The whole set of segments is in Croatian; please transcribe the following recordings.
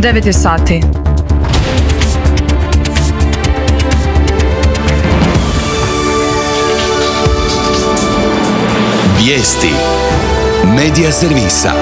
9 je sati. Vijesti Medija servisa.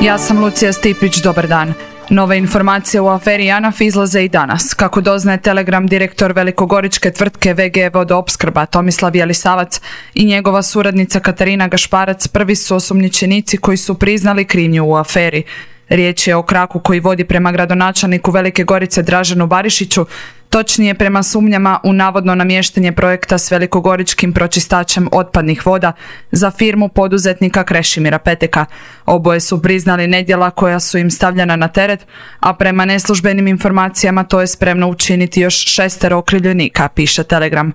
Ja sam Lucija Stipić, dobar dan. Nove informacije u aferi JANAF izlaze i danas. Kako doznaje Telegram, direktor velikogoričke tvrtke VG Vodoopskrba Tomislav Jelisavac i njegova suradnica Katarina Gašparac prvi su osumnjičenici koji su priznali krivnju u aferi. Riječ je o kraku koji vodi prema gradonačelniku Velike Gorice Draženu Barišiću, točnije prema sumnjama u navodno namještanje projekta s velikogoričkim pročistačem otpadnih voda za firmu poduzetnika Krešimira Peteka. Oboje su priznali nedjela koja su im stavljena na teret, a prema neslužbenim informacijama to je spremno učiniti još 6 okrivljenika, piše Telegram.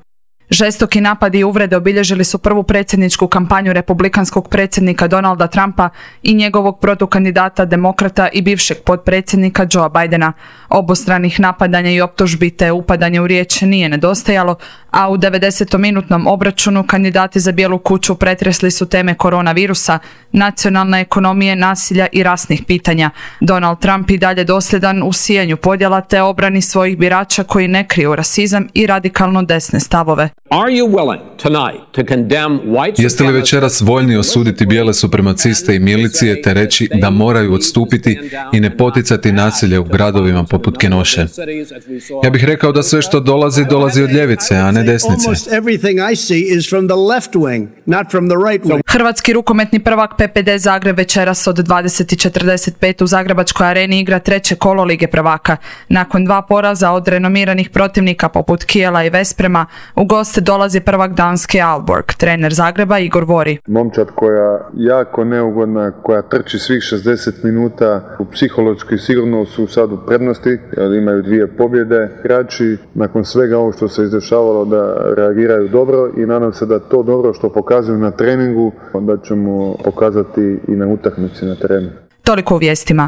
Žestoki napadi i uvrede obilježili su prvu predsjedničku kampanju republikanskog predsjednika Donalda Trumpa i njegovog protukandidata demokrata i bivšeg potpredsjednika Joea Bidena. Obostranih napadanja i optužbi te upadanje u riječ nije nedostajalo, a u 90-minutnom obračunu kandidati za Bijelu kuću pretresli su teme koronavirusa, nacionalne ekonomije, nasilja i rasnih pitanja. Donald Trump i dalje dosljedan u sijanju podjela te obrani svojih birača koji ne kriju rasizam i radikalno desne stavove. Jeste li večeras voljni osuditi bijele supremaciste i milicije te reći da moraju odstupiti i ne poticati nasilje u gradovima poput Kenoše? Ja bih rekao da sve što dolazi od ljevice, a ne desnice. Hrvatski rukometni prvak PPD Zagreb večeras od 20:45 u Zagrebačkoj areni igra treće kolo Lige prvaka. Nakon 2 poraza od renomiranih protivnika poput Kijela i Vesprema, u goste dolazi prvak Danske Aalborg. Trener Zagreba Igor Vori. Momčad koja jako neugodna, koja trči svih 60 minuta, psihološki sigurno su sad u prednosti, jer imaju 2 pobjede. Igrači nakon svega ovo što se izdešavalo da reagiraju dobro i nadam se da to dobro što pokazuju na treningu, onda ćemo pokazati i na utakmici na terenu. Toliko u vijestima.